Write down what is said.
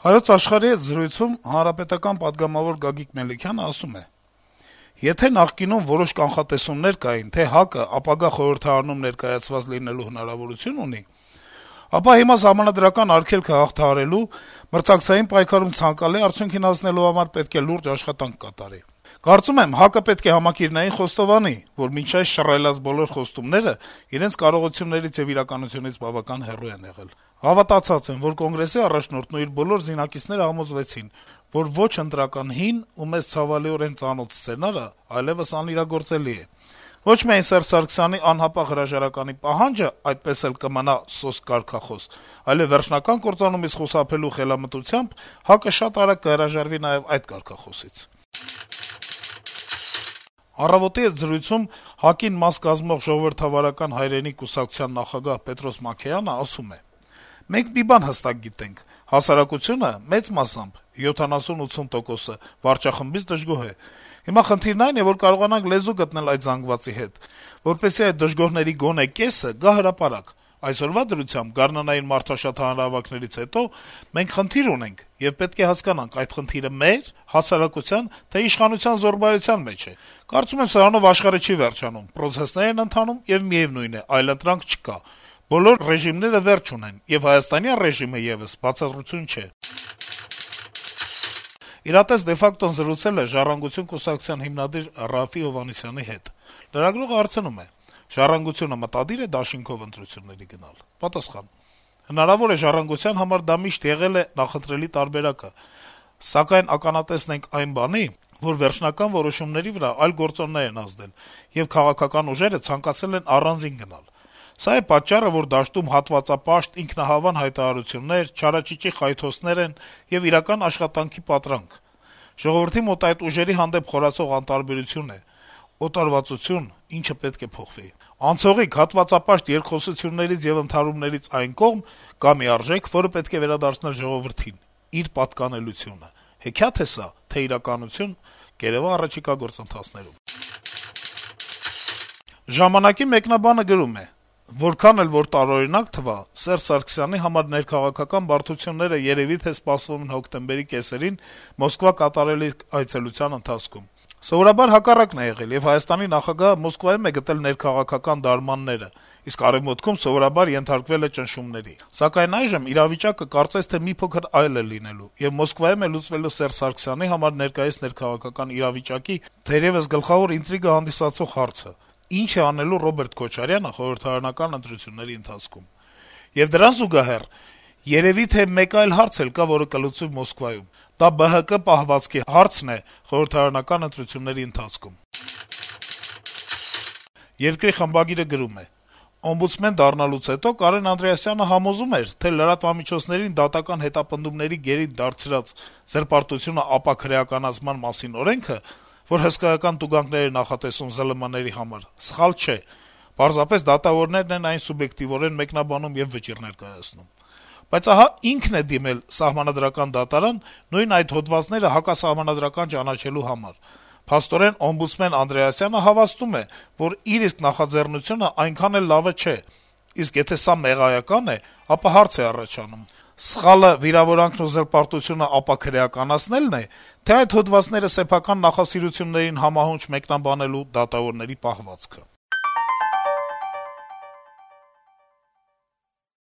Հայոց աշխարհի հետ զրույցում հանրապետական պատգամավոր Գագիկ Մելիքյանը ասում է. - «Եթե նախկինում որոշ կանխատեսումներ կային, թե ՀԱԿ-ը ապագա խորհրդարանում ներկայացված լինելու հնարավորություն ունի, ապա հիմա սահմանադրական արգելքը հաղթահարելու, մրցակցային պայքարում ցանկալի արդյունքին հասնելու համար պետք է լուրջ աշխատանք կատարի: Կարծում եմ, ՀԱԿ-ը պետք է համակիրնային խոստովանի, որ մինչ այս շռայլած բոլոր խոստումները իրենց կարողություններից եւ իրականությունից բավական հեռու են եղել: Հավատացած եմ, որ Կոնգրեսի առաջնորդն ու իր բոլոր զինակիցները համոզվեցին, որ ոչ ընտրական հին ու մեզ ցավալիորեն ծանոթ սցենարը այլեւս անիրագործելի է: Ոչ միայն Սերժ Սարգսյանի անհապաղ հրաժարականի պահանջը այդպես էլ կմնա սոսկ կարգախոս, այլեւ վերջնական կործանումից խուսափելու խելամտությամբ ՀԱԿ-ը շատ արագ կհրաժարվի նաեւ այդ կարգախոսից»: «Առավոտ»-ի հետ զրույցում ՀԱԿ-ին մաս կազմող Ժողովրդավարական հայրենիք կուսակցության նախագահ Պետրոս Մաքեյանը ասում է. - «Մենք մի բան հստակ գիտենք. հասարակությունը մեծ մասամբ, 70-80%, վարչախմբից դժգոհ է: Հիմա խնդիրն այն է, որ կարողանանք լեզու գտնել այդ զանգվածի հետ, որպեսզի այդ դժգոհների գոնե կեսը գա հրապարակ: Այսօրվա դրությամբ, գարնանային մարդաշատ հանրահավաքներից հետո մենք խնդիր ունենք, եւ պետք է հասկանանք` այդ խնդիրը մեր, հասարակության, թե իշխանության զոռբայության մեջ է: Կարծում եմ, սրանով աշխարհը չի վերջանում, պրոցեսներ են ընթանում, եւ միեւնույն է, այլընտրանք չկա: Բոլոր ռեժիմները վերջ ունեն, եւ հայաստանյան ռեժիմը եւս բացառություն չէ»: «Իրատես de facto»-ն զրուցել է «Ժառանգություն» կուսակցության հիմնադիր Րաֆֆի Հովհաննիսյանի հետ: Լրագրողը հարցնում է. - «Ժառանգությունը մտադիր է դաշինքով ընտրությունների գնալ»: Պատասխան. - «Հնարավոր է, «Ժառանգության» համար դա միշտ եղել է նախընտրելի տարբերակը, սակայն ականատեսն ենք այն բանի, որ վերջնական որոշումների վրա այլ գործոններ են ազդել, եւ քաղաքական ուժերը ցանկացել են առանձին գնալ: Սա է պատճառը, որ դաշտում հատվածապաշտ, ինքնահավան հայտարարություններ, չարաճճի խայթոցներ են եւ իրական աշխատանքի պատրանք: Ժողովրդի մոտ այդ ուժերի հանդեպ խորացող անտարբերություն է, օտարվածություն, ինչը պետք է փոխվի: Անցողիկ, հատվածապաշտ երկխոսություններից եւ ընդհարումներից այն կողմ կա մի արժեք, որը պետք է վերադարձնել ժողովրդին` իր պատկանելությունը: Հեքիաթ է սա, թե իրականություն, կերեւա առաջիկա գործընթացներում»: «Ժամանակ»-ի մեկնաբանը գրում է. - «Որքան էլ որ տարօրինակ թվա, Սերժ Սարգսյանի համար ներքաղաքական բարդությունները երեւի թե սպասվում են հոկտեմբերի կեսերին Մոսկվա կատարելիք այցելության ընթացքում: Սովորաբար հակառակն է եղել, եւ Հայաստանի նախագահը Մոսկվայում է գտել ներքաղաքական դարմանները, իսկ Արեւմուտքում սովորաբար ենթարկվել է ճնշումների: Սակայն այժմ իրավիճակը կարծես թե մի փոքր այլ է լինելու, եւ Մոսկվայում է լուծվելու Սերժ Սարգսյանի համար ներկայիս ներքաղաքական իրավիճակի թերեւս գլխավոր ինտրիգա հանդիսացող հարցը. ինչ է անելու Ռոբերտ Քոչարյանը խորհրդարանական ընտրությունների ընթացքում: Եվ դրան զուգահեռ երեւի թե մեկ այլ հարց էլ կա, որը կլուծվի Մոսկվայում: Դա ԲՀԿ պահվածքի հարցն է խորհրդարանական ընտրությունների ընթացքում»: «Երկիր» խմբագիրը գրում է. - «Օմբուդսմեն դառնալուց հետո Կարեն Անդրեասյանը համոզում էր, թե լրատվամիջոցներին դատական հետապնդումների գերիդ դարձրած «Զրպարտությունը ապաքրեականացման մասին» օրենքը, որ հսկայական տուգանքներ է նախատեսում ԶԼՄ-ների համար, սխալ չէ: Պարզապես դատավորներն են այն սուբյեկտիվորեն մեկնաբանում եւ վճիռներ կայացնում: Բայց ահա ինքն է դիմել Սահմանադրական դատարան նույն այդ հոդվածները հակասահմանադրական ճանաչելու համար: Փաստորեն օմբուդսմեն Անդրեասյանը հավաստում է, որ իր իսկ նախաձեռնությունը այնքան էլ լավը չէ: Իսկ եթե սա մեղայական է, ապա հարց է առաջանում. սխալը վիրավորանքն ու զրպարտությունը ապաքրեականացնելն է, թե այդ հոդվածները սեփական նախասիրություններին համահունչ մեկնաբանելու դատավորների պահվածքը»: